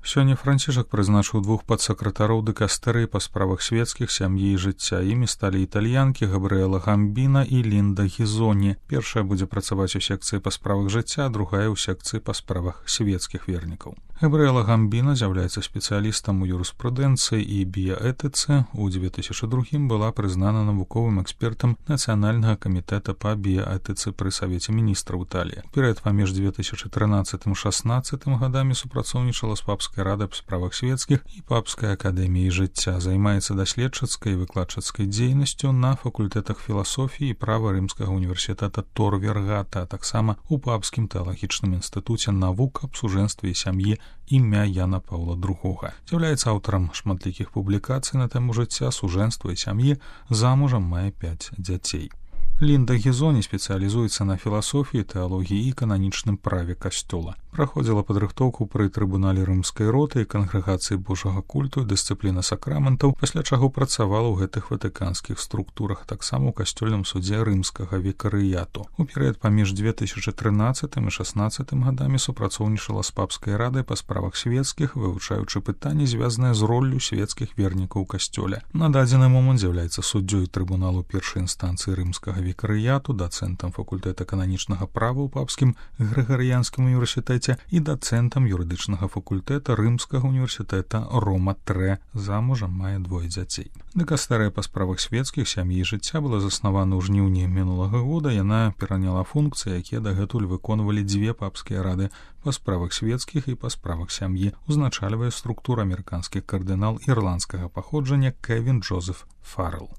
Сёння Францішак прызначыў 2 падсакратароў дыкастэрыі па справах свецкіх, сям'і і жыцця. Імі сталі італьянкі Габрыэла Гамбіна і Лінда Гізоні. Першая будзе працаваць у секцыі па справах жыцця, а другая ў секцыі па справах свецкіх вернікаў. Габрыэла Гамбіна з'яўляецца спецыялістам у юрыспрудэнцыі і біяэтыцы. У 2002 была прызнана навуковым экспертам Нацыянальнага камітэта па біяэтыцы пры Савеце міністраў Італіі. Перыяд паміж 2013-16 гадамі супрацоўнічала з Папскай радай па справах свецкіх і Папскай акадэміяй жыцця. Займаецца даследчыцкай і выкладчыцкай дзейнасцю на факультэтах філасофіі і права Рымскага універсітэта Тор Вергата, а таксама у Папскім тэалагічным інстытуце навук аб сужэнстве і сям'і імя Яна Паўла II. З'яўляецца аўтарам шматлікіх публікацый на тэму жыцця, сужэнства і сям'і, замужам, мае 5 дзяцей. Лінда Гізоні спецыялізуецца на філасофіі, тэалогіі і кананічным праве касцёла. Праходзіла падрыхтоўку пры трыбунале рымскай роты і кангрэгацыі Божага культу і дысцыпліна сакраментаў, пасля чаго працавала ў гэтых ватыканскіх структурах, таксама ў касцёльным судзе рымскага викарыяту. У перыяд паміж 2013 і 2016 гадамі супрацоўнічала з Папскай радай па справах свецкіх, вывучаючы пытанні, звязаныя з роллю свецкіх вернікаў у касцёле. На дадзены момант з'яўляецца суддзёй трыбуналу першай інстанцыі рымскага викарыяту, дацэнтам факультэта кананічнага права ў Папскім Грыгарыянскім універсітэце і дацэнтам юрыдычнага факультэта Рымскага універсітэта Рома III. Замужам, мае 2 дзяцей. Дыкастэрыя па справах свецкіх, сям'і і жыцця была заснавана ў жніўні мінулага года. Яна пераняла функцыі, якія дагэтуль выконвалі 2 папскія рады па справах свецкіх і па справах сям'і. Узначальвае структуру амерыканскі кардынал ірландскага паходжання Кевін Джозеф Фаррелл.